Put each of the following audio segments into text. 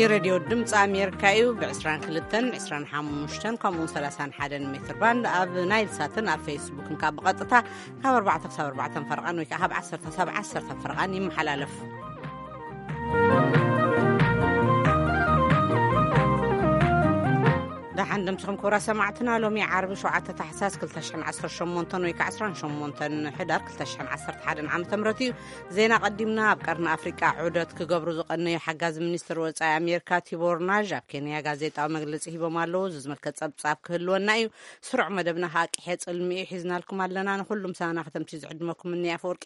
ሬድዮ ድምፂ ኣሜሪካ እዩ። ብ22፣ 25 ከምኡውን 31 ሜትር ባንድ ኣብ ናይል ሳትን ኣብ ፌስቡክን ካብ ብቐጥታ ካብ ኣርባዕተ ክሳብ ኣርባዕተ ፈረቓን ወይ ከዓ ካብ ዓሰርተ ክሳብ ዓሰርተ ፈረቓን ይመሓላለፍ። ደሓን ደምስኹም ክቡራት ሰማዕትና። ሎሚ ዓርቢ ሸውዓተ ታሕሳስ ክልተ ሽሕን ዓሰርተ ሸሞንተን ወይ ከዓ ዕስራን ሸሞንተን ሕዳር ክልተ ሽሕን ዓሰርተ ሓደን ዓመተ ምህረት እዩ። ዜና ቀዲምና። ኣብ ቀርኒ ኣፍሪቃ ዑደት ክገብሩ ዝቐነዩ ሓጋዚ ሚኒስትር ወጻኢ ኣሜሪካ ቲቦር ናዥ ኣብ ኬንያ ጋዜጣዊ መግለጺ ሂቦም ኣለዉ። እዚ ዝምልከት ጸብጻብ ክህልወና እዩ። ስሩዕ መደብና ከዓ ቅሔ ጽልሚ እዩ ሒዝናልኩም ኣለና። ንኹሉም ሳና ከተምሲ ዝዕድመኩም እኒ ኣፈወርቂ።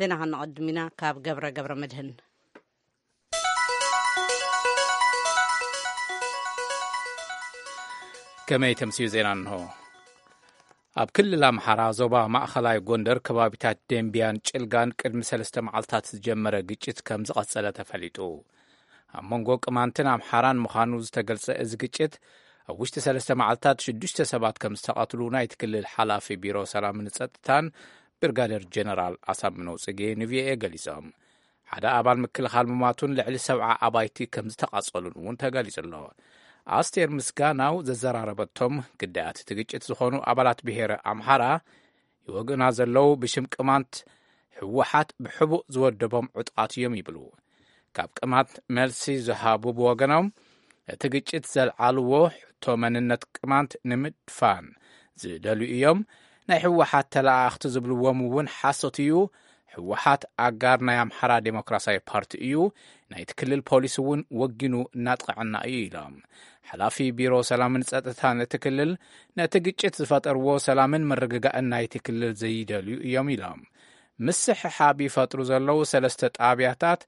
ዜና ከነቐድም ኢና ካብ ገብረ ገብረ መድህን። ከመይ ተምስዩ ዜና እንሆ። ኣብ ክልል ኣምሓራ ዞባ ማእኸላይ ጎንደር ከባቢታት ደምቢያን ጭልጋን ቅድሚ ሰለስተ መዓልታት ዝጀመረ ግጭት ከም ዝቐጸለ ተፈሊጡ። ኣብ መንጎ ቅማንትን ኣምሓራን ምዃኑ ዝተገልጸ እዚ ግጭት ኣብ ውሽጢ ሰለስተ መዓልታት ሽዱሽተ ሰባት ከም ዝተቐትሉ ናይቲ ክልል ሓላፊ ቢሮ ሰላምን ጸጥታን ብርጋደር ጀነራል ኣሳምነው ጽጌ ንቪኦኤ ገሊጾም። ሓደ ኣባል ምክልኻል ምማቱን ልዕሊ ሰብዓ ኣባይቲ ከም ዝተቓጸሉን እውን ተገሊጹ ኣሎ። ኣስቴር ምስጋናው ዘዘራረበቶም ግዳያት እቲ ግጭት ዝኾኑ ኣባላት ብሄረ ኣምሓራ ይወግኡና ዘለዉ ብሽም ቅማንት ህወሓት ብሕቡእ ዝወደቦም ዕጡቓት እዮም ይብሉ። ካብ ቅማንት መልሲ ዝሃቡ ብወገኖም እቲ ግጭት ዘልዓልዎ ሕቶ መንነት ቅማንት ንምድፋን ዝደልዩ እዮም። ናይ ህወሓት ተለኣኣኽቲ ዝብልዎም እውን ሓሶት እዩ። ህወሓት ኣጋር ናይ ኣምሓራ ዴሞክራሲያዊ ፓርቲ እዩ። ናይቲ ክልል ፖሊስ እውን ወጊኑ እናጥቕዐና እዩ ኢሎም። ሓላፊ ቢሮ ሰላምን ጸጥታን እቲ ክልል ነቲ ግጭት ዝፈጠርዎ ሰላምን ምርግጋእን ናይቲ ክልል ዘይደልዩ እዮም ኢሎም። ምስሕሓብ ይፈጥሩ ዘለዉ ሰለስተ ጣብያታት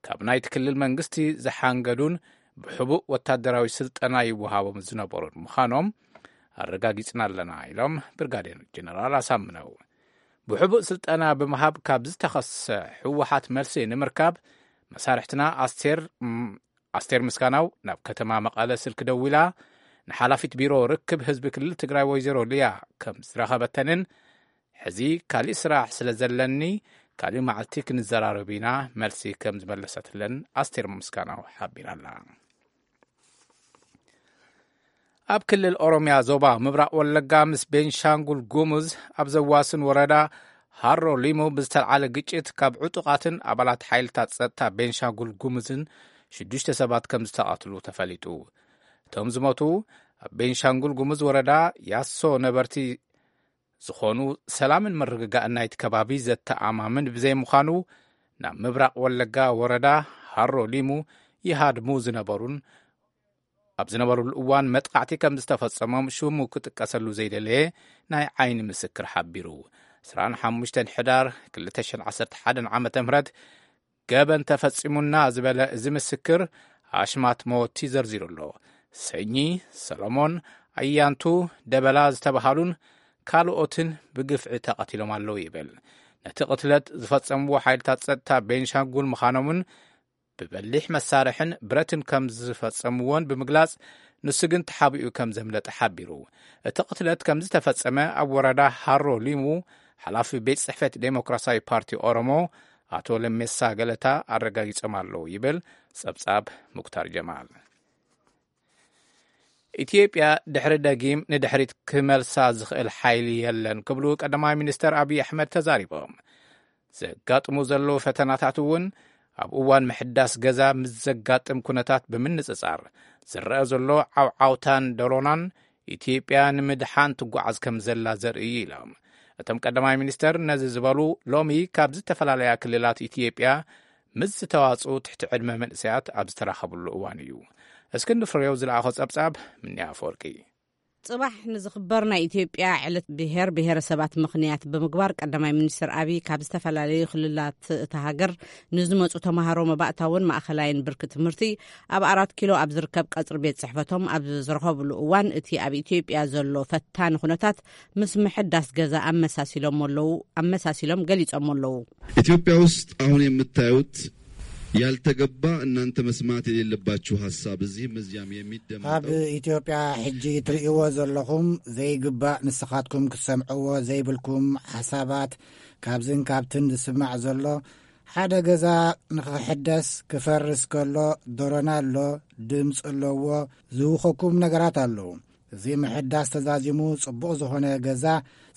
ካብ ናይቲ ክልል መንግስቲ ዝሓንገዱን ብሕቡእ ወታደራዊ ስልጠና ይወሃቦም ዝነበሩን ምዃኖም ኣረጋጊጽና ኣለና ኢሎም ብርጋዴር ጀነራል ኣሳምነው። ብሕቡእ ስልጠና ብምሃብ ካብ ዝተኸሰ ህወሓት መልሲ ንምርካብ መሳርሕትና ኣስቴር፣ ም-፣ ኣስቴር ምስጋናው ናብ ከተማ መቐለ ስልኪ ደዊላ ንሓላፊት ቢሮ ርክብ ህዝቢ ክልል ትግራይ ወይዘሮ ሊያ ከም ዝረኸበተንን ሕዚ ካሊእ ስራሕ ስለ ዘለኒ ካሊእ መዓልቲ ክንዘራረብ ኢና መልሲ ከም ዝመለሰትለን ኣስቴር ምስጋናው ሓቢራ ኣላ። ኣብ ክልል ኦሮምያ ዞባ ምብራቕ ወለጋ ምስ ቤንሻንጉል ጉሙዝ ኣብ ዘዋስን ወረዳ ሃሮ ሊሙ ብዝተልዓለ ግጭት ካብ ዕጡቓትን ኣባላት ሓይልታት ጸጥታ ቤንሻንጉል ጉሙዝን ሽዱሽተ ሰባት ከም ዝተቐትሉ ተፈሊጡ። እቶም ዝሞቱ ኣብ ቤንሻንጉል ጉሙዝ ወረዳ ያሶ ነበርቲ ዝኾኑ ሰላምን ምርግጋእን ናይቲ ከባቢ ዘተኣማምን ብዘይምዃኑ ናብ ምብራቕ ወለጋ ወረዳ ሃሮ ሊሙ ይሃድሙ ዝነበሩን ኣብ ዝነበሩሉ እዋን መጥቃዕቲ ከም ዝተፈጸሞም ሽሙ ክጥቀሰሉ ዘይደለየ ናይ ዓይኒ ምስክር ሓቢሩ። ዕስራን ሓሙሽተን ሕዳር ክልተ ሽሕን ዓሰርተ ሓደን ዓመተ ምህረት ገበን ተፈጺሙና ዝበለ እዚ ምስክር ኣሽማት መወቲ ዘርዚሩ ኣሎ። ሰኚ፣ ሰሎሞን፣ ኣያንቱ፣ ደበላ ዝተባሃሉን ካልኦትን ብግፍዒ ተቐቲሎም ኣለዉ ይብል። ነቲ ቅትለት ዝፈጸምዎ ሓይልታት ጸጥታ ቤንሻንጉል ምዃኖምን ብበሊሕ መሳርሕን ብረትን ከም ዝፈጸምዎን ብምግላጽ፣ ንሱ ግን ተሓቢኡ ከም ዘምለጠ ሓቢሩ። እቲ ቅትለት ከም ዝተፈጸመ ኣብ ወረዳ ሃሮ ሊሙ ሓላፊ ቤት ጽሕፈት ዴሞክራሲያዊ ፓርቲ ኦሮሞ ኣቶ ለሜሳ ገለታ ኣረጋጊጾም ኣለዉ ይብል ጸብጻብ ሙክታር ጀማል። ኢትዮጵያ ድሕሪ ደጊም ንድሕሪት ክመልሳ ዝኽእል ሓይሊ የለን ክብሉ ቀዳማይ ሚኒስተር ኣብይ ኣሕመድ ተዛሪቦም። ዘጋጥሙ ዘለዉ ፈተናታት እውን ኣብ እዋን ምሕዳስ ገዛ ምስ ዘጋጥም ኩነታት ብምንጽጻር ዝረአ ዘሎ ዓውዓውታን ደሮናን ኢትዮጵያ ንምድሓን ትጓዓዝ ከም ዘላ ዘርኢ እዩ ኢሎም። እቶም ቀዳማይ ሚኒስተር ነዚ ዝበሉ ሎሚ ካብ ዝተፈላለያ ክልላት ኢትዮጵያ ምስ ዝተዋጽኡ ትሕቲ ዕድመ መንእሰያት ኣብ ዝተራኸብሉ እዋን እዩ። እስክንድር ፍሬው ዝለኣኾ ጸብጻብ ምንያ ኣፈወርቂ። ጽባሕ ንዝኽበር ናይ ኢትዮጵያ ዕለት ብሔር ብሔረሰባት ምኽንያት ብምግባር ቀዳማይ ሚኒስትር ኣብይ ካብ ዝተፈላለዩ ክልላት እታ ሃገር ንዝመጹ ተማሃሮ መባእታውን ማእኸላይን ብርኪ ትምህርቲ ኣብ ኣራት ኪሎ ኣብ ዝርከብ ቀጽሪ ቤት ጽሕፈቶም ኣብ ዝረኸብሉ እዋን እቲ ኣብ ኢትዮጵያ ዘሎ ፈታኒ ኩነታት ምስ ምሕዳስ ገዛ ኣመሳሲሎም ኣለዉ፣ ኣመሳሲሎም ገሊጾም ኣለዉ። ኢትዮጵያ ውስጥ አሁን የምታዩት ያልተገባ እናንተ መስማት የሌለባችሁ ሐሳብ እዚህም እዚያም የሚደመጠው ኣብ ኢትዮጵያ ሕጂ ትርእይዎ ዘለኹም ዘይግባእ ንስኻትኩም ክትሰምዕዎ ዘይብልኩም ሓሳባት ካብዝን ካብትን ዝስማዕ ዘሎ ሓደ ገዛ ንኽሕደስ ክፈርስ ከሎ፣ ዶሮና ኣሎ፣ ድምፂ ኣለዎ፣ ዝውኸኩም ነገራት ኣለዉ። እዚ ምሕዳስ ተዛዚሙ ጽቡቕ ዝኾነ ገዛ፣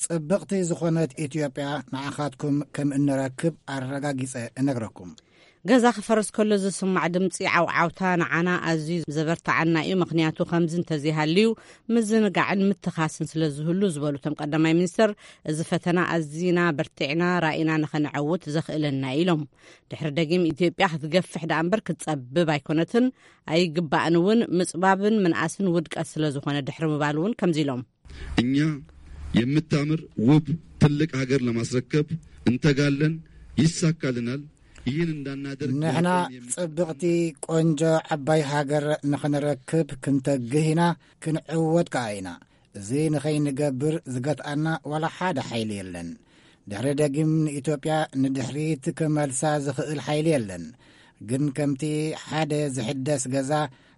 ጽብቕቲ ዝኾነት ኢትዮጵያ ንዓኻትኩም ከም እንረክብ ኣረጋጊጸ እነግረኩም። ገዛ ክፈርስ ከሎ ዝስማዕ ድምፂ ዓውዓውታ ንዓና ኣዝዩ ዘበርትዓና እዩ፣ ምኽንያቱ ከምዚ እንተዘይሃልዩ ምዝንጋዕን ምትኻስን ስለ ዝህሉ ዝበሉ እቶም ቀዳማይ ሚኒስትር፣ እዚ ፈተና ኣዚና በርቲዕና ራኢና ንኸነዐውት ዘኽእለና ኢሎም። ድሕሪ ደጊም ኢትዮጵያ ክትገፍሕ ደኣ እምበር ክትጸብብ ኣይኮነትን፣ ኣይግባእን እውን። ምጽባብን ምንኣስን ውድቀት ስለ ዝኾነ ድሕሪ ምባል እውን ከምዚ ኢሎም። እኛ የምታምር ውብ ትልቅ ሀገር ለማስረከብ እንተጋለን፣ ይሳካልናል። ይህን እንዳናደርግ ንሕና ያለን የሚ- ጽብቕቲ ቆንጆ ዓባይ ሃገር ንኽንረክብ ክንተግህ ኢና፣ ክንዕወት ከኣ ኢና። እዚ ንኸይንገብር ዝገትኣና ዋላ ሓደ ሓይሊ የለን። ድሕሪ ደጊም ንኢትዮጵያ ንድሕሪት ክመልሳ ዝኽእል ሓይሊ የለን። ግን ከምቲ ሓደ ዝሕደስ ገዛ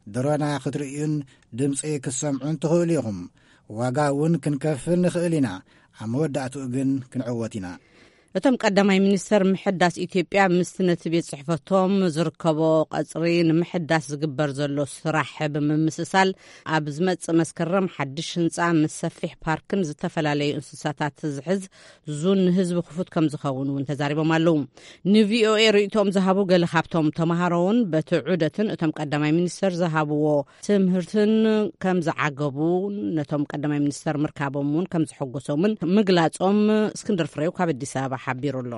ድሮና ክትርእዩን ድምፂ ክትሰምዑን ትኽእሉ ኢኹም። ዋጋ እውን ክንከፍል ንኽእል ኢና። ኣብ መወዳእትኡ ግን ክንዕወት ኢና። እቶም ቀዳማይ ሚኒስተር ምሕዳስ ኢትዮጵያ ምስቲ ነቲ ቤት ጽሕፈቶም ዝርከቦ ቀጽሪ ንምሕዳስ ዝግበር ዘሎ ስራሕ ብምምስሳል፣ ኣብ ዝመጽእ መስከረም ሓድሽ ህንጻ ምስ ሰፊሕ ፓርክን ዝተፈላለዩ እንስሳታት ዝሕዝ ዙን ንህዝቢ ክፉት ከም ዝኸውን እውን ተዛሪቦም ኣለዉ። ንቪኦኤ ርእይቶኦም ዝሃቡ ገለ ካብቶም ተምሃሮ እውን በቲ ዑደትን እቶም ቀዳማይ ሚኒስተር ዝሃብዎ ትምህርትን ከም ዝዓገቡ፣ ነቶም ቀዳማይ ሚኒስተር ምርካቦም እውን ከም ዘሐጎሶምን ምግላጾም እስክንድር ፍሬው ካብ ኣዲስ ኣበባ ሓቢሩ ኣሎ።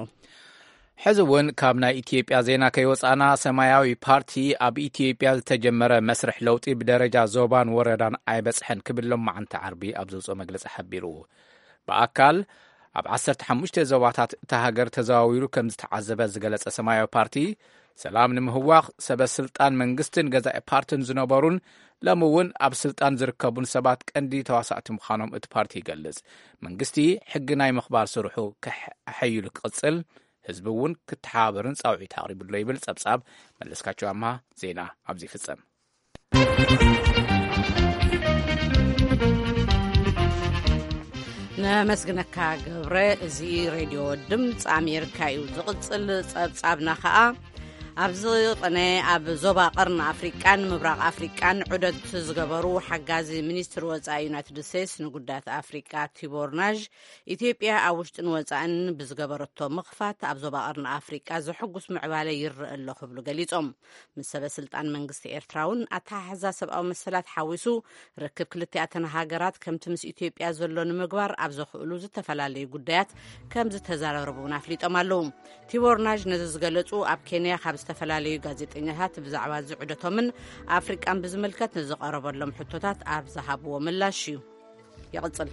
ሕዚ እውን ካብ ናይ ኢትዮጵያ ዜና ከይወፃና፣ ሰማያዊ ፓርቲ ኣብ ኢትዮጵያ ዝተጀመረ መስርሕ ለውጢ ብደረጃ ዞባን ወረዳን ኣይበፅሐን ክብል ሎማዓንቲ ዓርቢ ኣብ ዘውፅኦ መግለፂ ሓቢሩ። ብኣካል ኣብ ዓሰርተ ሓሙሽተ ዞባታት እታ ሃገር ተዘዋዊሩ ከም ዝተዓዘበ ዝገለጸ ሰማያዊ ፓርቲ፣ ሰላም ንምህዋኽ ሰበ ስልጣን መንግስትን ገዛኢ ፓርትን ዝነበሩን ሎሚ እውን ኣብ ስልጣን ዝርከቡን ሰባት ቀንዲ ተዋሳእቲ ምዃኖም እቲ ፓርቲ ይገልጽ። መንግስቲ ሕጊ ናይ ምኽባር ስርሑ ከሕ-፣ ኣሐይሉ ክቕጽል፣ ህዝቢ እውን ክተሓባበርን ጻውዒት ኣቕሪቡ ኣሎ ይብል ጸብጻብ መለስካቸው ኣምሃ። ዜና ኣብዚ ይፍጸም። ነመስግነካ ገብረ። እዚ ሬድዮ ድምፂ ኣሜሪካ እዩ። ዝቕፅል ፀብፃብና ኸዓ ኣብዚ ቕነ ኣብ ዞባ ቐርኒ ኣፍሪቃን ምብራቕ ኣፍሪቃን ዑደት ዝገበሩ ሓጋዚ ሚኒስትር ወፃኢ ዩናይትድ ስቴትስ ንጉዳያት ኣፍሪቃ ቲቦር ናዥ፣ ኢትዮጵያ ኣብ ውሽጥን ወፃእን ብዝገበረቶ ምኽፋት ኣብ ዞባ ቐርኒ ኣፍሪቃ ዘሐጉስ ምዕባለ ይረአ ኣሎ ክብሉ ገሊፆም። ምስ ሰበ ስልጣን መንግስቲ ኤርትራ እውን ኣተሓሕዛ ሰብኣዊ መሰላት ሓዊሱ ርክብ ክልቲኣተን ሃገራት ከምቲ ምስ ኢትዮጵያ ዘሎ ንምግባር ኣብ ዘኽእሉ ዝተፈላለዩ ጉዳያት ከም ዝተዘራረቡ እውን ኣፍሊጦም ኣለዉ። ቲቦር ናዥ ነዚ ዝገለጹ ኣብ ኬንያ ካብ ዝተፈላለዩ ጋዜጠኛታት ብዛዕባ እዚ ዑደቶምን ኣፍሪቃን ብዝምልከት ንዝቐረበሎም ሕቶታት ኣብ ዝሃብዎ ምላሽ እዩ። ይቕጽል።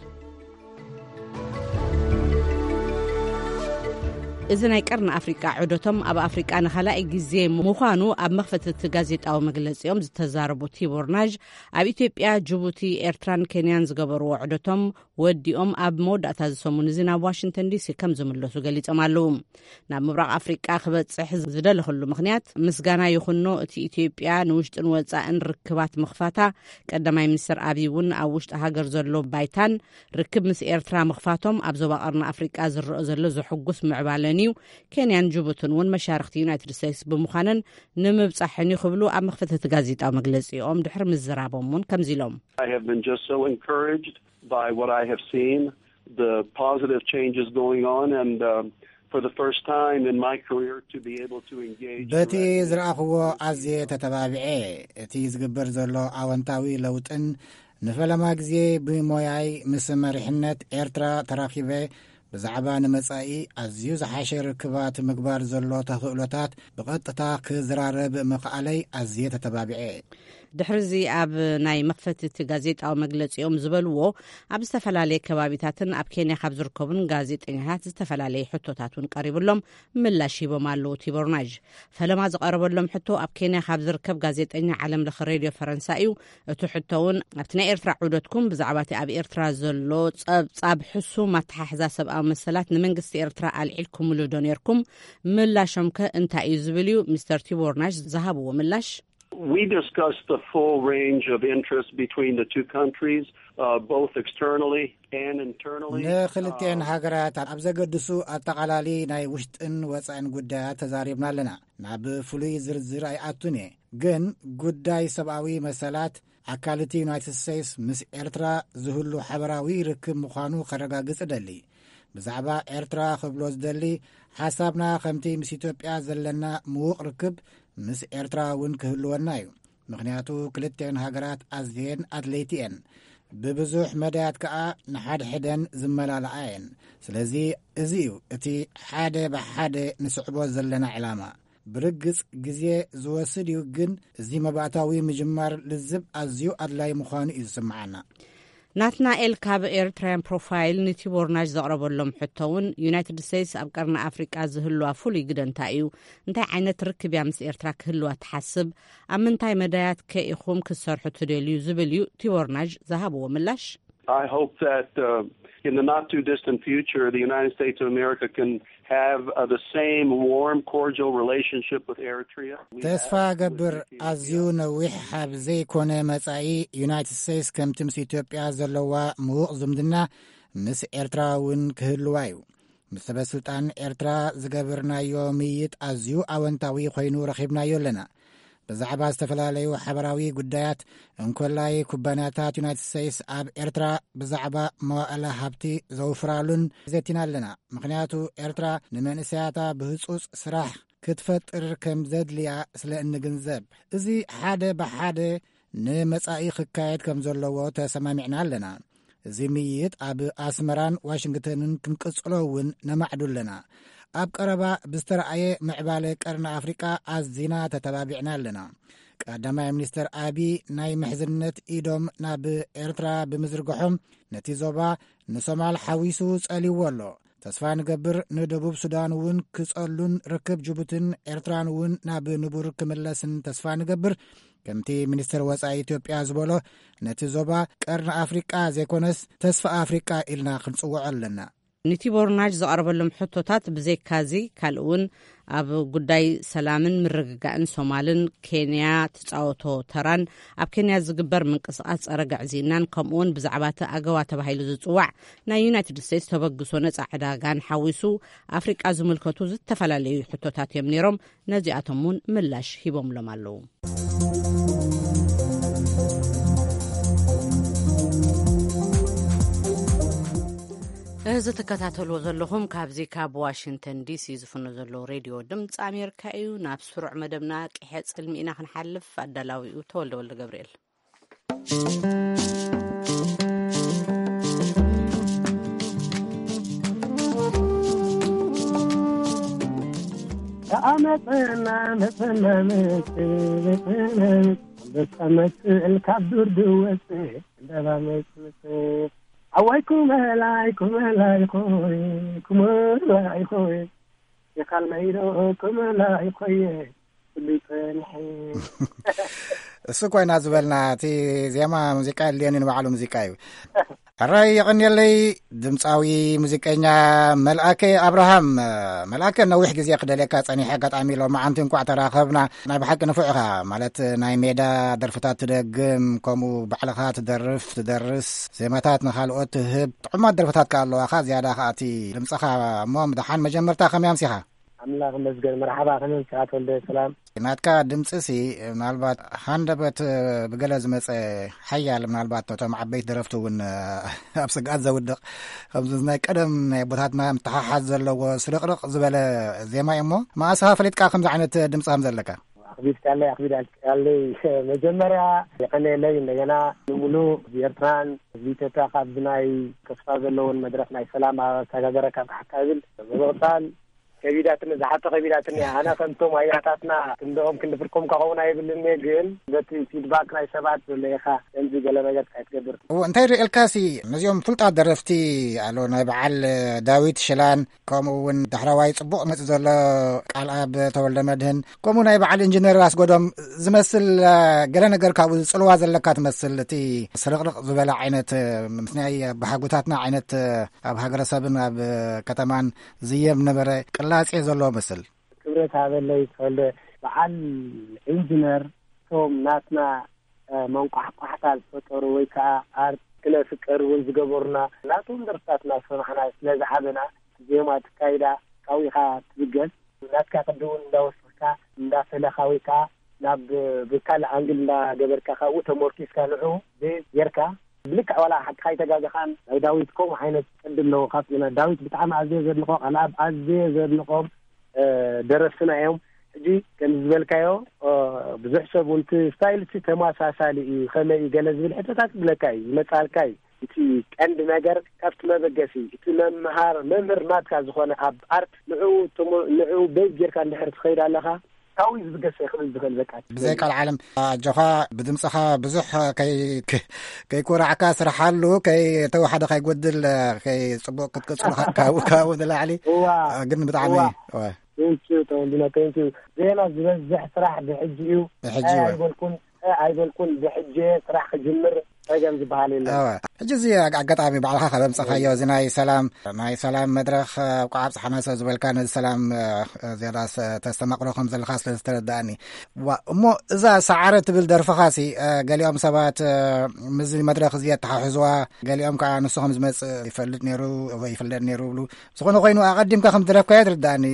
እዚ ናይ ቀርኒ ኣፍሪቃ ዑደቶም ኣብ ኣፍሪቃ ንኻልኣይ ግዜ ምዃኑ ኣብ መኽፈቲ እቲ ጋዜጣዊ መግለጺኦም ዝተዛረቡ ቲቦር ናዥ፣ ኣብ ኢትዮጵያ፣ ጅቡቲ፣ ኤርትራን ኬንያን ዝገበርዎ ዑደቶም ወዲኦም ኣብ መወዳእታ እዚ ሰሙን እዚ ናብ ዋሽንግተን ዲሲ ከም ዝምለሱ ገሊጾም ኣለዉ። ናብ ምብራቕ ኣፍሪቃ ክበጽሕ ዝደለኽሉ ምኽንያት፣ ምስጋና ይኹኖ፣ እቲ ኢትዮጵያ ንውሽጥን ወጻእን ርክባት ምኽፋታ፣ ቀዳማይ ሚኒስትር ኣብይ እውን ኣብ ውሽጢ ሃገር ዘሎ ባይታን ርክብ ምስ ኤርትራ ምኽፋቶም ኣብ ዞባ ቀርኒ ኣፍሪቃ ዝረአ ዘሎ ዘሐጉስ ምዕባለን እዩ። ኬንያን ጅቡትን እውን መሻርኽቲ ዩናይትድ ስቴትስ ብምዃነን ንምብጻሕን እዩ ክብሉ ኣብ መኽፈቲ እቲ ጋዜጣዊ መግለጺኦም ድሕሪ ምዝራቦም እውን ከምዚ ኢሎም። I have been just so encouraged by what I have seen, the positive changes going on, and um, for the first time in my career to be able to engage በቲ directly ዝረኣኽዎ with ኣዝየ ተተባቢዐ። እቲ ዝግበር ዘሎ ኣወንታዊ ለውጥን ንፈለማ ግዜ ብሞያይ ምስ መሪሕነት ኤርትራ ተራኺበ ብዛዕባ ንመጻኢ ኣዝዩ ዝሓሸ ርክባት ምግባር ዘሎ ተኽእሎታት ብቐጥታ ክዝራረብ ምኽኣለይ ኣዝየ ተተባቢዐ። ድሕሪዚ ኣብ ናይ መኽፈቲ እቲ ጋዜጣዊ መግለጺኦም ዝበልዎ፣ ኣብ ዝተፈላለየ ከባቢታትን ኣብ ኬንያ ካብ ዝርከቡን ጋዜጠኛታት ዝተፈላለየ ሕቶታት እውን ቀሪብሎም ምላሽ ሂቦም ኣለዉ። ቲቦር ናዥ ፈለማ ዝቐረበሎም ሕቶ ኣብ ኬንያ ካብ ዝርከብ ጋዜጠኛ ዓለም ለኸ ሬድዮ ፈረንሳ እዩ። እቲ ሕቶ እውን ኣብቲ ናይ ኤርትራ ዑደትኩም ብዛዕባ እቲ ኣብ ኤርትራ ዘሎ ጸብጻብ ሕሱም ኣተሓሕዛ ሰብኣዊ መሰላት ንመንግስቲ ኤርትራ ኣልዒልኩምሉ ዶ ነርኩም? ምላሾም ከ እንታይ እዩ ዝብል እዩ። ሚስተር ቲቦር ናሽ ዝሃብዎ ምላሽ We discussed the full range of interest between the two countries, uh, both externally and internally. ንክልቲኤን ሃገራት ኣብ ዘገድሱ ኣጠቓላሊ ናይ ውሽጥን ወጻእን ጉዳያት ተዛሪብና ኣለና። ናብ ፍሉይ ዝርዝር ኣይኣቱን እየ፣ ግን ጉዳይ ሰብኣዊ መሰላት ኣካል እቲ ዩናይትድ ስቴትስ ምስ ኤርትራ ዝህሉ ሓበራዊ ርክብ ምዃኑ ከረጋግጽ እደሊ። ብዛዕባ ኤርትራ ክብሎ ዝደሊ፣ ሓሳብና ከምቲ ምስ ኢትዮጵያ ዘለና ምዉቕ ርክብ ምስ ኤርትራ እውን ክህልወና እዩ። ምኽንያቱ ክልቲኤን ሃገራት ኣዝየን ኣድለይቲ እየን። ብብዙሕ መዳያት ከኣ ንሓድሕደን ዝመላልኣ እየን። ስለዚ እዚ እዩ እቲ ሓደ ብሓደ ንስዕቦ ዘለና ዕላማ። ብርግጽ ግዜ ዝወስድ እዩ፣ ግን እዚ መባእታዊ ምጅማር ልዝብ ኣዝዩ ኣድላይ ምዃኑ እዩ ዝስምዓና። ናትናኤል ካብ ኤርትራያን ፕሮፋይል ንቲቦርናጅ ዘቕረበሎም ሕቶ እውን፣ ዩናይትድ ስቴትስ ኣብ ቀርኒ ኣፍሪቃ ዝህልዋ ፍሉይ ግደ እንታይ እዩ? እንታይ ዓይነት ርክብ እያ ምስ ኤርትራ ክህልዋ ትሓስብ? ኣብ ምንታይ መዳያት ከ ኢኹም ክትሰርሑ ትደልዩ? ዝብል እዩ ቲቦርናጅ ዝሃብዎ ምላሽ። I hope that, uh, in the not too distant future, the United States of America can have, uh, the same warm, cordial relationship with Eritrea. We ተስፋ have with ገብር፣ Ethiopia. ኣዝዩ ነዊሕ ኣብ ዘይኮነ መጻኢ፣ ዩናይትድ ስቴትስ ከምቲ ምስ ኢትዮጵያ ዘለዋ ምዉቕ ዝምድና ምስ ኤርትራ እውን ክህልዋ እዩ። ምስ ሰበ ስልጣን ኤርትራ ዝገበርናዮ ምይይጥ ኣዝዩ ኣወንታዊ ኮይኑ ረኺብናዮ ኣለና። ብዛዕባ ዝተፈላለዩ ሓበራዊ ጉዳያት፣ እንኮላይ ኩባንያታት ዩናይትድ ስቴትስ ኣብ ኤርትራ ብዛዕባ መዋእለ ሃብቲ ዘውፍራሉን ዘቲና ኣለና። ምኽንያቱ ኤርትራ ንመንእሰያታ ብህጹጽ ስራሕ ክትፈጥር ከም ዘድልያ ስለ እንግንዘብ፣ እዚ ሓደ ብሓደ ንመጻኢ ክካየድ ከም ዘለዎ ተሰማሚዕና ኣለና። እዚ ምይይጥ ኣብ ኣስመራን ዋሽንግተንን ክንቅጽሎ እውን ነማዕዱ ኣለና። ኣብ ቀረባ ብዝተረኣየ ምዕባለ ቀርኒ ኣፍሪቃ ኣዚና ተተባቢዕና ኣለና። ቀዳማይ ሚኒስተር ኣቢ ናይ ምሕዝነት ኢዶም ናብ ኤርትራ ብምዝርግሖም፣ ነቲ ዞባ ንሶማል ሓዊሱ ጸልይዎ ኣሎ። ተስፋ ንገብር ንደቡብ ሱዳን እውን ክጸሉን ርክብ ጅቡትን ኤርትራን እውን ናብ ንቡር ክምለስን ተስፋ ንገብር። ከምቲ ሚኒስተር ወጻኢ ኢትዮጵያ ዝበሎ፣ ነቲ ዞባ ቀርኒ ኣፍሪቃ ዘይኮነስ ተስፋ ኣፍሪቃ ኢልና ክንጽውዖ ኣለና። ንቲቦርናጅ ዝቐረበሎም ሕቶታት ብዘይካዚ፣ ካልእ እውን ኣብ ጉዳይ ሰላምን ምርግጋእን ሶማልን ኬንያ ትጻወቶ ተራን፣ ኣብ ኬንያ ዝግበር ምንቅስቓስ ጸረ ግዕዝይናን፣ ከምኡውን ብዛዕባ እቲ ኣገዋ ተባሂሉ ዝጽዋዕ ናይ ዩናይትድ ስቴትስ ተበግሶ ነጻ ዕዳጋን ሓዊሱ ኣፍሪቃ ዝምልከቱ ዝተፈላለዩ ሕቶታት እዮም ነይሮም። ነዚኣቶም እውን ምላሽ ሂቦምሎም ኣለዉ። እዚ ትከታተልዎ ዘለኹም ካብዚ ካብ ዋሽንግተን ዲሲ ዝፍኖ ዘሎ ሬድዮ ድምፂ ኣሜሪካ እዩ። ናብ ስሩዕ መደብና ቅሐ ጽልሚ ኢና ክንሓልፍ። ኣዳላዊኡ ተወልደ ወልደ ገብርኤል። ተኣመፀና መፀና መፅእ መፅእ መፅእ ኣንበሳ መፅእ ካብ ዱር ድወፅእ ዕንደባ መፅእ መፅእ ኣዋይ ኩመላይ ኩመላይ ኾይ ኩመላይ ኾይ የኻልመይዶ ኩመላይ ኾየ ኩሉ ይፀንሐ። እሱ ኮይና ዝበልና እቲ ዜማ ሙዚቃ የድልየኒ ንባዕሉ ሙዚቃ እዩ። ሕራይ የቐንየለይ ድምፃዊ ሙዚቀኛ መልኣከ ኣብርሃም። መልኣከ ነዊሕ ግዜ ክደልየካ ጸኒሐ፣ ኣጋጣሚ ሎማዓንቲ እንኳዕ ተራኸብና። ናይ ብሓቂ ንፉዕ ኢኻ፣ ማለት ናይ ሜዳ ደርፍታት ትደግም፣ ከምኡ ባዕልኻ ትደርፍ ትደርስ፣ ዜማታት ንኻልኦት ትህብ፣ ጥዑማት ደርፍታት ከኣ ኣለዋኻ። ዝያዳ ከኣ እቲ ድምፅኻ እሞ፣ ምድሓን መጀመርታ ከመይ ኣምሲኻ? ኣምላኽ ይመስገን። መርሓባ፣ ከመይ ምሳኻ ተወልደ? ሰላም። ናትካ ድምፂ ሲ ምናልባት ሃንደበት ብገለ ዝመፀ ሓያል፣ ምናልባት ነቶም ዓበይቲ ደረፍቲ እውን ኣብ ስግኣት ዘውድቕ፣ ከምዚ ናይ ቀደም ናይ ኣቦታትና ምትሓሓዝ ዘለዎ ስርቕርቕ ዝበለ ዜማ እዩ። እሞ መኣስኻ ፈሊጥካ ከምዚ ዓይነት ድምፂ ከም ዘለካ? ኣኽቢድካለይ፣ ኣኽቢዳለይ። መጀመርያ የቐንየለይ። እንደገና ንምሉእ ህዝቢ ኤርትራን ህዝቢ ኢትዮጵያ ካብዚ ናይ ተስፋ ዘለዎን መድረኽ ናይ ሰላም ኣሰጋገረካ ብሓካ ይብል። ብምቕጻል ከቢዳትኒ፣ ዝሓቶ ከቢዳትኒ እያ። ኣነ ከምቶም ኣያታትና ክንድኦም ክንዲ ፍርቆም ክኸውን ኣይብልን እየ፣ ግን በቲ ፊድባክ ናይ ሰባት ዘለካ ከምዚ ገለ ነገር እንታይ ትገብር? እዎ፣ እንታይ ርእልካሲ ነዚኦም ፍሉጣት ደረፍቲ ኣሎ፣ ናይ በዓል ዳዊት ሽላን፣ ከምኡ እውን ዳሕረዋይ ጽቡቕ መጽእ ዘሎ ቃልኣብ ተወልደ መድህን፣ ከምኡ ናይ በዓል ኢንጂነር ኣስጎዶም ዝመስል፣ እ፣ ገለ ነገር ካብኡ ዝጽልዋ ዘለካ ትመስል፣ እቲ ስርቕርቕ ዝበለ ዓይነት፣ እ፣ ምስ ናይ ኣባሓጎታትና ዓይነት፣ እ፣ ኣብ ሃገረሰብን ኣብ ከተማን ዝየም ነበረ ቅላጼ ዘለዎ መስል። ክብረት ሃበለይ ተወልደ። በዓል ኢንጂነር እቶም ናትና መንቋሕቋሕታ ዝፈጠሩ ወይ ከዓ ኣርት ክነፍቅር እውን ዝገበሩና ናቶም ደርፍታት እናሰማዕና ስለዝዓበና፣ ዜማ ትካይዳ ካብኡ ኢኻ ትብገስ። ናትካ ቅዲ እውን እንዳወሰድካ እንዳፈለኻ ወይ ከዓ ናብ ብካልእ ኣንግል እንዳገበርካ ካብኡ ተመርኪስካ ንዑ ቤዝ ጌርካ ብልክዕ ዋላ ሓቅኻ ኣይተጋገኻን። ናይ ዳዊት ከምኡ ዓይነት ቅዲ ኣለዎ። ካብ ዳዊት ብጣዕሚ ኣዝየ ዘድንቆ ካልኣብ ኣዝየ ዘድንቆም ደረስትና እዮም። ሕጂ ከም ዝበልካዮ ብዙሕ ሰብ እውን እቲ ስታይል እቲ ተመሳሳሊ እዩ፣ ከመይ እዩ ገለ ዝብል ሕቶታት ይብለካ እዩ፣ ይመጻልካ እዩ። እቲ ቀንዲ ነገር ካብቲ መበገሲ እቲ መምሃር መምህር ናትካ ዝኾነ ኣብ ኣርት ንዕኡ ንዕኡ ቤዝ ጌርካ እንድሕር ትኸይድ ኣለኻ ካብኡ እዩ ዝብገስ ክብል ዝኽእል። በቃ ብዘይ ቃል ዓለም ኣጆኻ ብድምፅኻ ብዙሕ ከይኩራዕካ ስርሓሉ፣ ከይተወሓደ ከይጎድል፣ ከይፅቡቅ ክትቅፅሉ ካብኡ ንላዕሊ። ግን ብጣዕሚ ቴንኪዩ ተወልድና፣ ቴንኪዩ። ዜና ዝበዝሕ ስራሕ ብሕጂ እዩ። ብሕጂ እዩ። ኣይበልኩን፣ ኣይበልኩን፣ ብሕጂ ስራሕ ክጅምር ጸገም ዝበሃል የለን። ሕጂ እዚ ኣጋጣሚ ባዕልኻ ካብ ኣምጻኻዮ፣ እዚ ናይ ሰላም ናይ ሰላም መድረኽ ኣብ ቋዕ ኣብጽሓና ሰብ ዝበልካ፣ ነዚ ሰላም ዝያዳ ተስተማቕሮ ከም ዘለኻ ስለ ዝተረዳእኒ። እሞ እዛ ሰዓረ ትብል ደርፍኻሲ፣ ገሊኦም ሰባት ምስዚ መድረኽ እዚ የተሓሕዝዋ፣ ገሊኦም ከዓ ንሱ ከም ዝመጽእ ይፈልጥ ነይሩ ወይ ይፍለጥ ነይሩ ይብሉ። ዝኾነ ኮይኑ ኣቐዲምካ ከም ዝደረፍካያ ትርዳእኒ።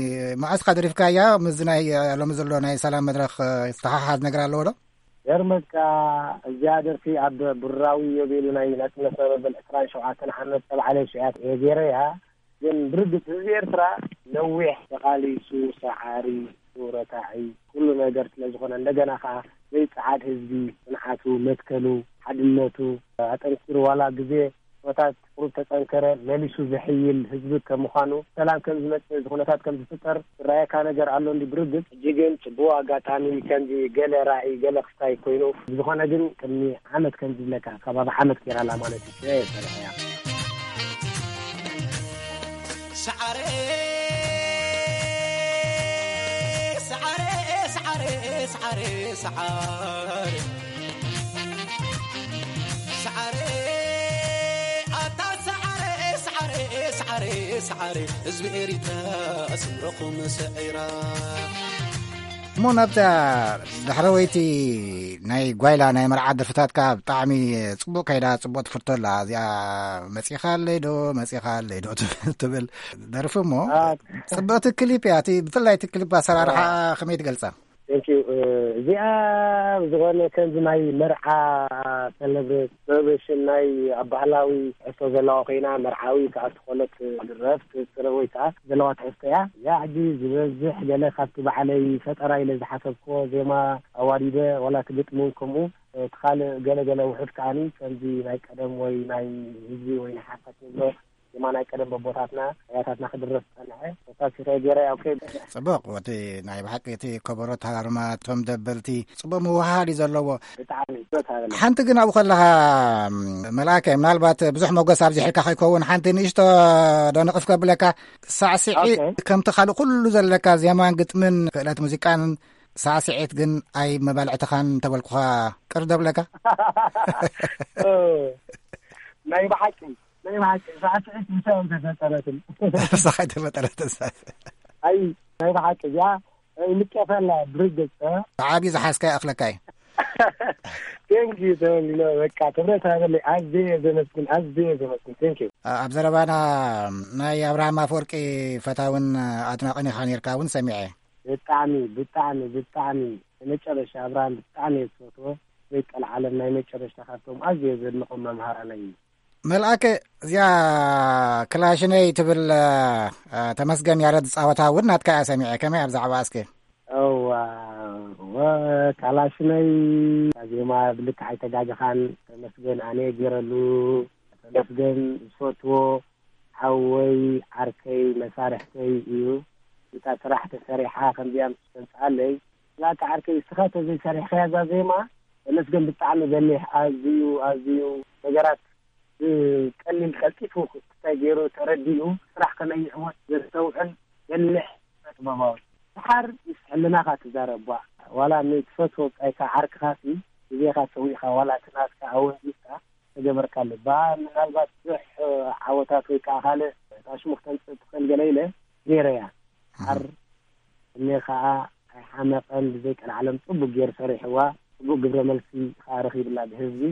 መዓስካ ደሪፍካያ? ምስዚ ናይ ሎሚ ዘሎ ናይ ሰላም መድረኽ ዝተሓሓዝ ነገር ኣለዎ ዶ? ገርመካ፣ እዚኣ ደርፊ ኣብ ብሩራዊ ዮቤሉ ናይ ናጽነት መበል ዕስራን ሸውዓተን ዓመት ተባዕለ ሽያት እየ ገይረያ። ግን ብርግጽ ህዝቢ ኤርትራ ነዊሕ ተቓሊሱ፣ ሰዓሪ፣ ረታዒ፣ ኩሉ ነገር ስለ ዝኾነ፣ እንደገና ከኣ ዘይጸዓድ ህዝቢ፣ ጽንዓቱ፣ መትከሉ፣ ሓድነቱ ኣጠንኪሩ፣ ዋላ ግዜ ኩነታት ቁሩብ ተጸንከረ፣ መሊሱ ዝሕይል ህዝቢ ከም ምዃኑ፣ ሰላም ከም ዝመጽእ፣ እዚ ኩነታት ከም ዝፍጠር ዝረኣየካ ነገር ኣሎ እንዲ ብርግጽ። ሕጂ ግን ጽቡቕ ኣጋጣሚ ከምዚ ገለ ራእይ፣ ገለ ክስታይ ኮይኑ፣ ብዝኾነ ግን ቅድሚ ዓመት ከም ዝብለካ ከባቢ ዓመት ገይራላ ማለት እዩ። እየ ሰሪሐያ። ሰዓረ ሰዓረ ሰዓረ ሰዓረ ሰዓረ ሰዓረ ኣታ ሰዓረ ሰዓረ ሰዓረ ሰዓረ ህዝቢ ኤሪትራ ስምረኹም ሰዒራ። እሞ ናብታ ዳሕረወይቲ ናይ ጓይላ ናይ መርዓ ደርፍታትካ ብጣዕሚ ጽቡቕ ከይዳ፣ ጽቡቕ ትፍቶ ኣላ። እዚኣ መጺኻ ኣለይ ዶ፣ መጺኻ ኣለይ ዶ ትብል ደርፊ እሞ ጽብቕቲ ክሊፕ እያ። እቲ ብፍላይ እቲ ክሊፕ ኣሰራርሓ ከመይ ትገልጻ? Thank you። እዚኣ ዝኾነ ከምዚ ናይ መርዓ ሰለብሬሽን ናይ ኣብ ባህላዊ ትሕዝቶ ዘለዋ ኮይና፣ መርዓዊ ከኣ ዝኾነት ድረፍ ትስረ ወይ ከኣ ዘለዋ ትሕዝቶ እያ። እዚኣ ሕጂ ዝበዝሕ ገለ ካብቲ ባዕለይ ፈጠራ ኢለ ዝሓሰብክዎ ዜማ ኣዋዲደ ዋላ እቲ ግጥሚ እውን ከምኡ፣ እቲ ካልእ ገለገለ ውሑድ ከኣኒ ከምዚ ናይ ቀደም ወይ ናይ ህዝቢ ወይ ናይ ሓፋሽ ንብሎ ዜማ ናይ ቀደም በቦታትና ኣያታትና ክድረፍ ዝጸንሐ ተሳሲረ ገይረ። ኦኬ። ጽቡቕ። እቲ ናይ ብሓቂ እቲ ከበሮ ኣተሃራርማ እቶም ደበልቲ ጽቡቕ ምውህሃድ እዩ ዘለዎ። ብጣዕሚ። ሓንቲ ግን ኣብኡ ከለኻ መልኣከ፣ ምናልባት ብዙሕ ሞገስ ኣብዚሕልካ ከይከውን ሓንቲ ንእሽቶ ዶ ንቕፍ ከብለካ። ሳዕስዒት ኦኬ። ከምቲ ካልእ ኩሉ ዘለካ ዜማን ግጥምን ክእለት ሙዚቃን ሳዕስዒት ግን ኣይመባልዕትኻን እንተበልኩኻ ቅር ደብለካ? ናይ ብሓቂ ናይ ብሓቂ ሳዕስዒት ምሳኦም ተፈጠረትን። ምሳኻ ተፈጠረትን። ኣይ ናይ ብሓቂ እዚኣ ንቀፈላ ብርግጽ። ብዓብዩ ዝሓዝካ ይኣኽለካ እዩ። ቴንክ ዩ ተወሊኖ፣ በቃ ክብረት ሃበለይ። ኣዝየ ዘመስግን፣ ኣዝየ ዘመስግን። ቴንክ ዩ። ኣብ ዘረባና ናይ ኣብርሃም ኣፈወርቂ ፈታውን ኣድናቕን ኢኻ ነርካ እውን ሰሚዐ። ብጣዕሚ ብጣዕሚ ብጣዕሚ መጨረሻ ኣብርሃም ብጣዕሚ እየ ዝፈትዎ። ዘይቀልዓለም ናይ መጨረሻ ካብቶም ኣዝየ ዘድንቖም መምሃራነይ እዩ። መልኣከ፣ እዚኣ ክላሽነይ ትብል ተመስገን ያረድ ዝጻወታ እውን ናትካ እያ ሰሚዐ። ከመይ ኣብ ዛዕባ እስከ? እዋ ወ ካላሽነይ ዜማ ብልክዕ ኣይተጋገኻን። ተመስገን ኣነ ገይረሉ። ተመስገን ዝፈትዎ ሓወይ ዓርከይ መሳርሕተይ እዩ። እታ ስራሕ ተሰሪሓ ከምዚኣ ምስ ተምፅኣለይ፣ ላካ ዓርከይ እስኻ ተዘይሰሪሕካያ እዛ ዜማ ተመስገን ብጣዕሚ በሊሕ ኣዝዩ ኣዝዩ ነገራት ብቀሊል ቀልጢፉ ክስታይ ገይሩ ተረዲኡ ስራሕ ከመይ ይዕወት ዘስተውዕል በሊሕ ጥበባዊ። ድሓር ምስ ሕልናኻ ትዛረብ ቧዕ። ዋላ ንትፈትዎ ብጻይካ ዓርክኻሲ ግዜኻ ሰዊእኻ ዋላ እቲ ናትካ ኣወንዚፍካ ተገበርካሉ። ባ ምናልባት ብዙሕ ዓወታት ወይ ከዓ ካልእ ኣሽሙ ክተምፅእ ትኽእል ገለ ኢለ ገይረያ። ድሓር እኔ ከዓ ኣይሓመቐን ብዘይ ቀልዓለም ፅቡቅ ገይሩ ሰሪሕዋ። ጽቡቕ ግብረ መልሲ ከዓ ረኺብላ ብህዝቢ።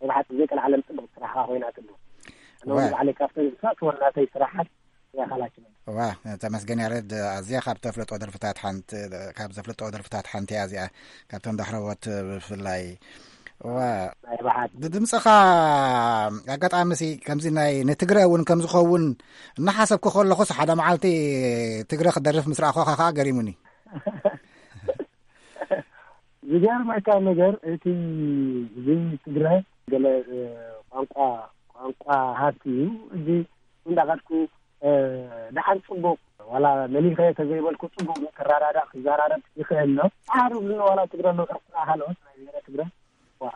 መብሓት ዘይቀልዓለም ጽቡቕ ስራሕ ኮይና ትሉ። ኣነ ዋ። ባዕለይ ካብተን ዝፈትወን ናተይ ስራሓት እያ ካላችን። ዋ፣ ተመስገን ያሬድ፣ ኣዝያ ካብ ተፍለጦ ደርፍታት ሓንቲ፣ ካብ ዘፍለጦ ደርፍታት ሓንቲ እያ እዚኣ፣ ካብተን ዳሕረዎት ብፍላይ። ዋ፣ ናይ ባሓት። ብድምፅኻ ኣጋጣሚ ሲ ከምዚ ናይ ንትግረ እውን ከም ዝኸውን እናሓሰብኩ ከለኹስ ሓደ መዓልቲ ትግረ ክደርፍ ምስ ረኣኹኻ ከዓ ገሪሙኒ። ዝገርመካ ነገር እቲ እዚ ትግረ ገለ፣ እ፣ ቋንቋ፣ ቋንቋ ሃብቲ እዩ። እዚ እንዳኸድኩ፣ እ፣ ደሓን ጽቡቕ ዋላ መሊኸ ተዘይበልኩ ጽቡቕ ክረዳዳእ ክዘራረብ ይኽእል ኣሎ። ጻዕሩ ብዝነ ዋላ ትግረ ኣሎ፣ ካልኦት ናይ ብሄረ ትግረ። ዋ፣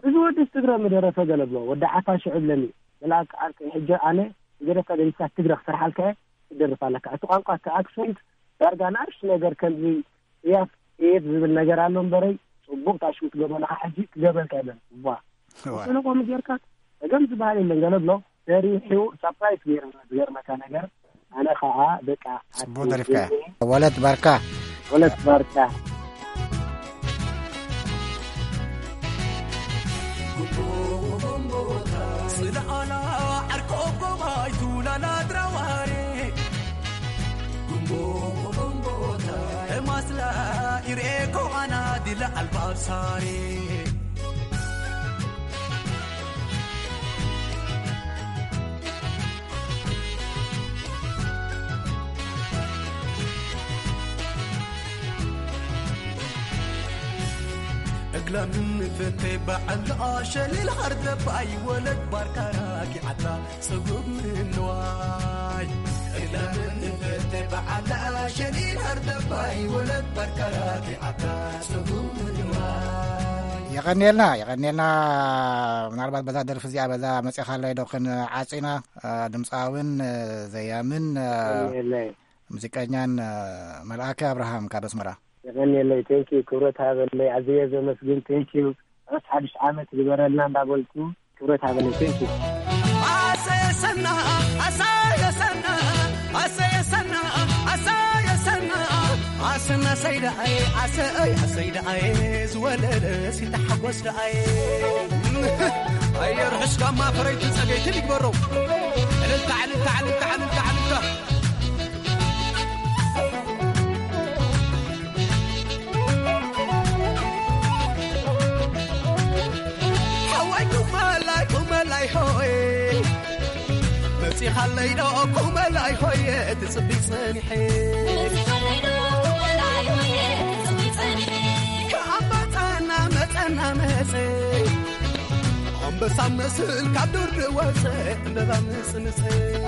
እዚ ወዲ ትግረ ምደረፈ ገለ ብሎ፣ ወዲ ዓፋ ሽዑ ብለኒ። መልኣክ ዓርከይ፣ ሕጂ ኣነ ዝገደፍካ ገዲፍካ ትግረ ክሰርሓልካ እየ፣ ትደርፍ ኣለካ። እቲ ቋንቋ፣ እቲ ኣክሰንት ዳርጋ ንኣሽቱ ነገር ከምዚ እያፍ እየት ዝብል ነገር ኣሎ እምበረይ፣ ጽቡቕ ታሽሙ ትገብረልካ፣ ሕጂ ክገብረልካ የለን። ዋ። ዋ። ተለቆ ምጌርካ፣ ጸገም ዝበሃል የለን ገለ ብሎ፣ ሰሪሑ፣ ሳፕራይዝ ገይሩ፣ ዝገርመካ ነገር፣ ኣነ ኸኣ በቃ ጽቡቕ ኣትዩ ደሪፍካያ። ዝብል ወለት ባርካ። ወለት ባርካ። ስለኣላ ዓርኮ ጎባይቱ ላላ ድራዋሬ። ጉምቦ ጉምቦታ ማስላ ኢሬኮ ኣና ዲላ ኣልባሳሬ። እግላምን ፈቴ በዓል ኣሸሊል ሃርደባይ ወለድ ባርካራ ኪዓታ ጽጉብ ምንዋይ። እግላምን ፈቴ በዓል ኣሸሊል ሃርደባይ ወለድ ባርካራ ኪዓታ ጽጉብ ምንዋይ። የቐንየልና፣ የቐንየልና። ምናልባት በዛ ደርፊ እዚኣ በዛ መጺኻለይ ዶ ክንዓጺና? አ፣ ድምፃውን፣ አ፣ ዘያምን፣ አ፣ የቐንየለይ። ሙዚቀኛን፣ አ፣ መልኣከ ኣብርሃም ካብ ኣስመራ። የቐንየለይ። ቴንክ ዩ። ክብረት ሃበለይ። ኣዝየ ዘመስግን። ቴንክ ዩ። ርሑስ ሓድሽ ዓመት ግበረልና እንዳበልኩ ክብረት ሃበለይ። ቴንክ ዩ። ኣሰየሰና፣ ኣሰየሰና፣ ኣሰየሰና፣ ኣሰየሰና፣ ኣሰና ሰይዳኣየ፣ ኣሰይ፣ ኣሰይ ደኣየ፣ ዝወለደ ሲተሓጎስ ደኣየ። ኣየ ርሑስ ጋማ ፈረይቲ ጸገይትን ይግበሮ። ዕልልታ፣ ዕልልታ፣ ዕልልታ፣ ዕልልታ፣ ዕልልታ። ሓዋይ ኩመላይ፣ ኩመላይ ሆይ። መጺኻለይ ዶ ኩመላይ ሆየ ትጽቢ ጸኒሐ። መጺኻለይ ዶ ኩመላይ ሆየ ትጽቢ ጸኒሐ። ከኣንበጣና መጸና መጸ። ኣንበሳ መስል ካብ ዱር ዝወጸ ዕምበባ ምጽምጸ።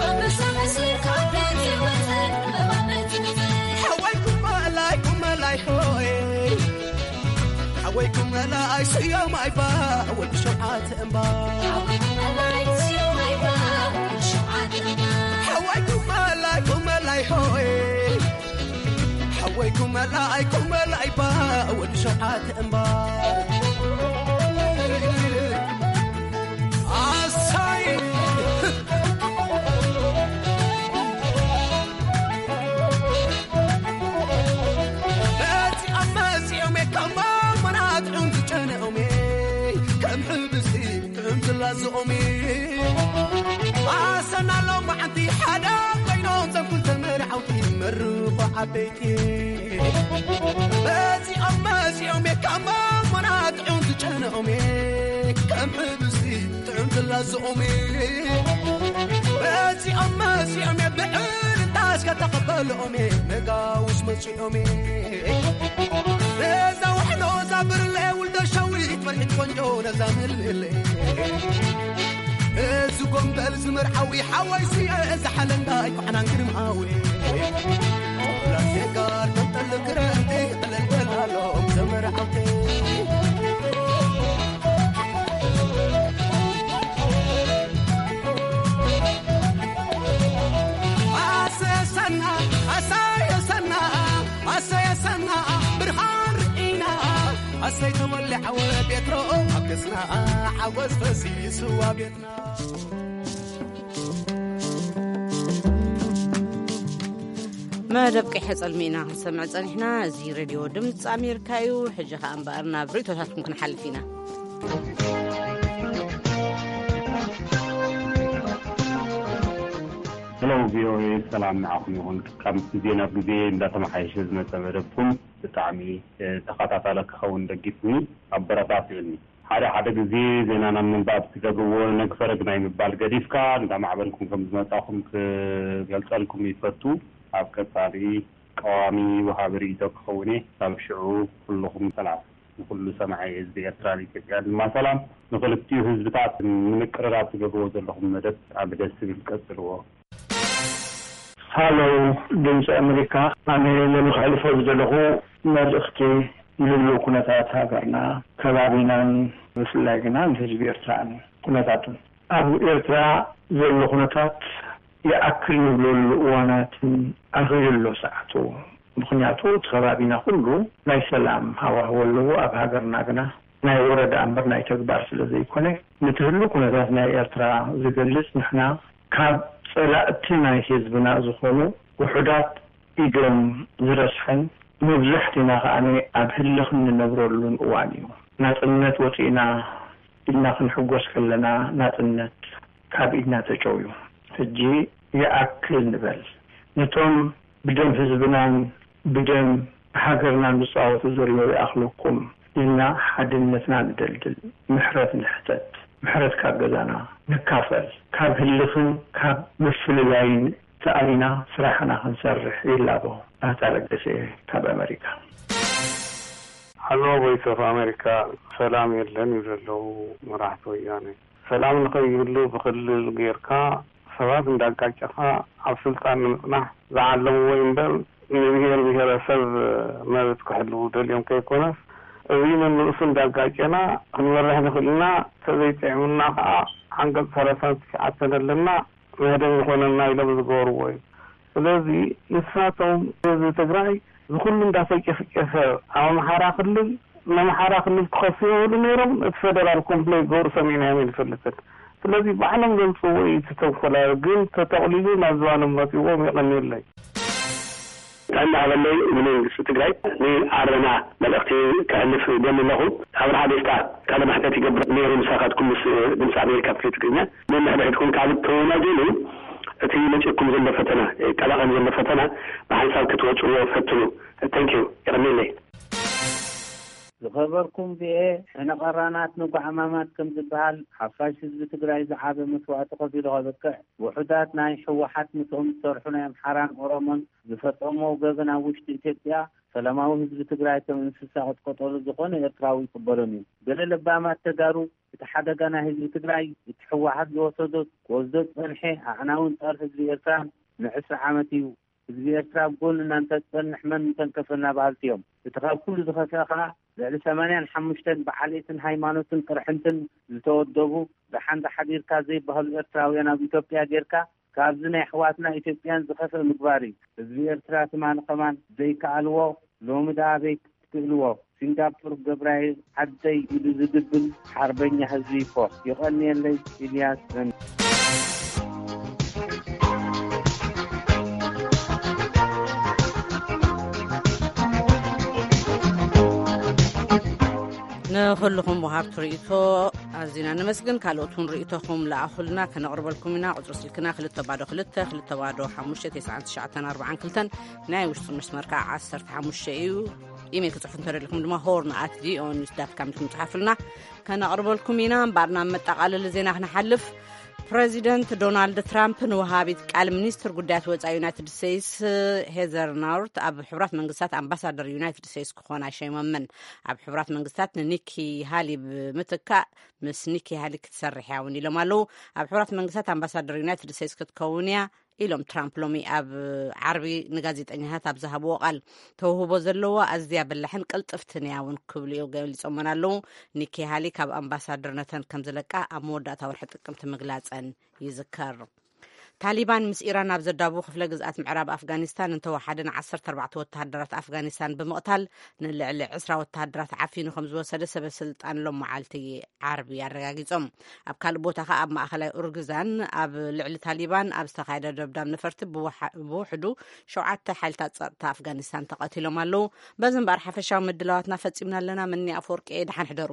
ኣንበሳ መስል ካብ ዱር ዝወጸ ዕምበባ ምጽምጸ። ሓወይ ኩመላይ ኩመላይ ሆይ። ሓወይ ኩመላይ ስዮም ኣይባ ወዲ ሸውዓተ እምባ። ሓወይ ኩመላይ ስዮም ኣይባ ወዲ ሸውዓተ እምባ። ሓወይ ኩመላይ ኩመላይ ሆይ። ሓወይ ኩመላይ ኩመላይ ባ ወዲ ሸውዓተ እምባ። ኣሳይ። መጺኦም መጺኦም እየ ካብ ማመናት ዑንዝጨነኦም እየ ከም ሕብስቲ ጥዑም ዝላዝኦም እየ። ኣሰና ሎማዓንቲ ሓደ ኮይኖም ዘም ክልተ መርዓውቲ መርኾ ዓበይቲ። መጺኦም መጺኦም እየ ካብ ማመናት ዑንዝጨነኦም እየ ከም ሕብስቲ ጥዑም ዝላዝኦም እየ። መጺኦም መጺኦም እየ ብዕልልታ እስከ ተቐበልኦም እየ ነጋውስ መጺኦም እየ። ነዛ ዋሕሎ እዛ ብርለ ውልደ ሸዊት መርሒት ቆንጆ ነዛ ምልምል። እዚ ጎንበል ዝመርዓዊ ሓወይ ስየ እዚ ሓለንጋይ ኳዕናን ግርማዊ። ላሴጋር ተንጠል ክረምቲ ጥልልተላሎም ዘመርዓውቲ። ኣሰሰና፣ ኣሳየሰና፣ ኣሰየሰና፣ ብርሃን ርኢና። ኣሰይ ተወሊዓወ ቤትሮ ኣብ ገጽና፣ ሓጎስ ፈሲስዋ ቤትና። መደብ ቀይሐ ጸልሚ ኢና ክንሰምዕ ጸኒሕና። እዚ ሬድዮ ድምፂ ኣሜሪካ እዩ። ሕጂ ከኣ እምበኣር ናብ ርእይቶታትኩም ክንሓልፍ ኢና። ሄሎ፣ ቪኦኤ፣ ሰላም ንዓኹም ይኹን። ካብ ግዜ ናብ ግዜ እንዳተመሓየሸ ዝመጸ መደብኩም ብጣዕሚ ተኸታታለ ክኸውን ደጊፍኒ፣ ኣበረታትዕኒ። ሓደ ሓደ ግዜ ዜና ናብ ምንባብ ትገብርዎ ነግፈረግ ናይ ምባል ገዲፍካ እንዳማዕበልኩም ከም ዝመጻኹም ክገልጸልኩም ይፈቱ። ኣብ ቀጻሊ ቀዋሚ ወሃቢ ርእይቶ ክኸውን እየ። ካብ ሽዑ ኩልኹም ሰላም። ንኹሉ ሰማዒ ህዝቢ ኤርትራን ኢትዮጵያን ድማ ሰላም። ንኽልቲኡ ህዝብታት ንምቅርራብ ትገብርዎ ዘለኹም መደብ ኣብ ደስ ዝብል ቀጽልዎ። ሃሎ፣ ድምፂ ኣሜሪካ። ኣነ ነዚ ከሕልፎ ዝደለኹ መልእኽቲ ንህልው ኩነታት ሃገርና፣ ከባቢናን ብፍላይ ግና ንህዝቢ ኤርትራን ኩነታቱን። ኣብ ኤርትራ ዘሎ ኩነታት ይኣክል ንብለሉ እዋናትን ኣኺሉ ኣሎ ሰዓቱ። ምኽንያቱ እቲ ከባቢና ኩሉ ናይ ሰላም ሃዋህው ኣለዎ። ኣብ ሃገርና ግና ናይ ወረዳ እምበር ናይ ተግባር ስለ ዘይኮነ፣ ንትህሉ ኩነታት ናይ ኤርትራ ዝገልጽ፣ ንሕና ካብ ጸላእቲ ናይ ህዝብና ዝኾኑ ውሑዳት ኢዶም ዝረስሐን መብዛሕትና ከኣ ኣብ ህልኽ እንነብረሉን እዋን እዩ። ናጽነት ወጺእና ኢልና ክንሕጎስ ከለና፣ ናጽነት ካብ ኢድና ተጨውዩ። ሕጂ ይኣክል ንበል። ነቶም ብደም ህዝብናን ብደም ሃገርናን ዝጻወቱ ዘለዉ ይኣኽለኩም ኢልና ሓድነትና ንደልድል፣ ምሕረት ንሕተት፣ ምሕረት ካብ ገዛና ንካፈል፣ ካብ ህልኽን ካብ ምፍልላይን ተኣሊና ስራሕና ክንሰርሕ ይላቦ። ባህታ ለገሰ ካብ ኣመሪካ። ሃሎ፣ ቮይስ ኦፍ ኣሜሪካ። ሰላም የለን እዩ ዘለዉ መራሕቲ ወያነ። ሰላም ንኸይህሉ ብክልል ጌርካ ሰባት እንዳጋጨኻ ኣብ ስልጣን ንምጽናሕ ዝዓለምዎ እምበር፣ ንብሄር ብሄረሰብ መብት ክሕልዉ ደልዮም ከይኮነስ፣ እዚ ነንርእሱ እንዳጋጨና ክንመርሕ ንኽእል ኢና። ተዘይጥዕምና ከዓ ዓንቀጽ ሰላሳን ትሽዓተን ኣለና፣ መህደም ይኾነና ኢሎም ዝገበርዎ እዩ። ስለዚ ንሳቶም ህዝቢ ትግራይ ዝኹሉ እንዳተጨፍጨፈ ኣብ ኣምሓራ ክልል፣ ንኣምሓራ ክልል ክኸሱ ይኽእሉ ነይሮም። እቲ ፌደራል ኮምፕሌን ገብሩ ሰሚዕናዮም ኣይንፈልጥን። ስለዚ ባዕሎም ዘምፅዎ እዩ እቲ ተንኮላ፣ ግን ተጠቕሊሉ ናብ ዝባኖም መፂዎም። የቐንየለይ። ጥዕና ሃበለይ። ንመንግስቲ ትግራይ ንኣረና መልእኽቲ ከሕልፍ ደሊ ኣለኹ። ኣብርሃ ደስታ ቃለ መሕተት ይገብር ነይሩ ምሳኻትኩም ምስ ድምፂ ኣሜሪካ ብፍላይ ትግርኛ። ነንሕድሕድኩም ካብ እትወናጀሉ እቲ መፂእኩም ዘሎ ፈተና፣ ቀላቐል ዘሎ ፈተና ብሓንሳብ ክትወፅዎ ፈትኑ። Thank you። የቐንየለይ። ዝኸበርኩም ቪኦኤ፣ ሕነ ቀራናት ንጓዕማማት ከም ዝበሃል፣ ሓፋሽ ህዝቢ ትግራይ ዝዓበ መስዋእቲ ከፊሉ ከብቅዕ፣ ውሑዳት ናይ ህወሓት ምስኦም ዝሰርሑ ናይ ኣምሓራን ኦሮሞን ዝፈጸምዎ ገበን ኣብ ውሽጢ ኢትዮጵያ ሰላማዊ ህዝቢ ትግራይ ከም እንስሳ ቅጥቀጠሉ ዝኾነ ኤርትራዊ ይቅበሎን እዩ። ገለ ለባማት ተጋሩ እቲ ሓደጋ ናይ ህዝቢ ትግራይ እቲ ህወሓት ዝወሰዶ ክወስዶ ዝጸንሐ ኣዕናውን ጸር ህዝቢ ኤርትራን ንዕስራ ዓመት እዩ። ህዝቢ ኤርትራ ኣብ ጎንና እንተዝጸንሕ መን ምተንከፈና በሃልቲ እዮም። እቲ ካብ ኩሉ ዝኸፍአ ከኣ ልዕሊ ሰማንያን ሓሙሽተን ብዓሌትን ሃይማኖትን ቅርሕንትን ዝተወደቡ ደሓን ተሓዲርካ ዘይበሃሉ ኤርትራውያን ኣብ ኢትዮጵያ ጌርካ ካብዚ ናይ ኣሕዋትና ኢትዮጵያን ዝኸፍአ ምግባር እዩ። ህዝቢ ኤርትራ ትማሊ ከማን ዘይከኣልዎ ሎሚ ደኣ ኣበይ ክትክእልዎ። ሲንጋፖር ገብራይ ዓደይ ኢሉ ዝድብል ሓርበኛ ህዝቢ እኮ። የቐንየለይ። ኢልያስ እም። ንኹልኹም ወሃብቲ ርእይቶ ኣዚና ነመስግን። ካልኦት እውን ርእይቶኹም ለኣኹልና፣ ከነቕርበልኩም ኢና። ቁጽሪ ስልክና ክልተ ባዶ ክልተ ክልተ ባዶ ሓሙሽተ ተስዓን ትሽዓተን ኣርባዓን ክልተን፣ ናይ ውሽጢ መስመር ከዓ ዓሰርተ ሓሙሽተ እዩ። ኢሜል ክጽሕፉ እንተደሊኹም ድማ ሆርን ኣት ቪኦኤ ኒውስ ዳት ካም ኢልኩም ጽሓፉልና፣ ከነቕርበልኩም ኢና። እምበኣር ናብ መጠቓለሊ ዜና ክንሓልፍ፣ ፕረዚደንት ዶናልድ ትራምፕ ንወሃቢት ቃል ሚኒስትር ጉዳያት ወጻኢ ዩናይትድ ስቴትስ ሄዘር ናውርት ኣብ ሕቡራት መንግስታት ኣምባሳደር ዩናይትድ ስቴትስ ክኾና ሸይሞመን። ኣብ ሕቡራት መንግስታት ንኒኪ ሃሊ ብምትካእ ምስ ኒኪ ሃሊ ክትሰርሕ እያ እውን ኢሎም ኣለዉ። ኣብ ሕቡራት መንግስታት ኣምባሳደር ዩናይትድ ስቴትስ ክትከውን እያ ኢሎም ትራምፕ ሎሚ ኣብ ዓርቢ ንጋዜጠኛታት ኣብ ዝሃብዎ ቃል። ተውህቦ ዘለዋ ኣዝያ በላሕን ቅልጥፍትን እያ እውን ክብሉ እዮም ገሊጾመን ኣለዉ። ኒኪ ሃሊ ካብ ኣምባሳደርነተን ከም ዝለቃ ኣብ መወዳእታ ወርሒ ጥቅምቲ ምግላጸን ይዝከር። ታሊባን ምስ ኢራን ኣብ ዘዳቡ ክፍለ ግዝኣት ምዕራብ ኣፍጋኒስታን እንተወሓደ ን14 ወተሃደራት ኣፍጋኒስታን ብምቕታል ንልዕሊ ዕስራ ወተሃደራት ዓፊኑ ከም ዝወሰደ ሰበ ስልጣን ሎም መዓልቲ ዓርቢ ኣረጋጊጾም። ኣብ ካልእ ቦታ ኸኣ ኣብ ማእኸላይ ኡርግዛን ኣብ ልዕሊ ታሊባን ኣብ ዝተኻየደ ደብዳብ ነፈርቲ ብውሓ- ብውሕዱ ሸውዓተ ሓይልታት ጸጥታ ኣፍጋኒስታን ተቐቲሎም ኣለዉ። በዚ እምበኣር ሓፈሻዊ ምድላዋትና ፈጺምና ኣለና። መኒ ኣፈወርቂ፣ ደሓን ሕደሩ።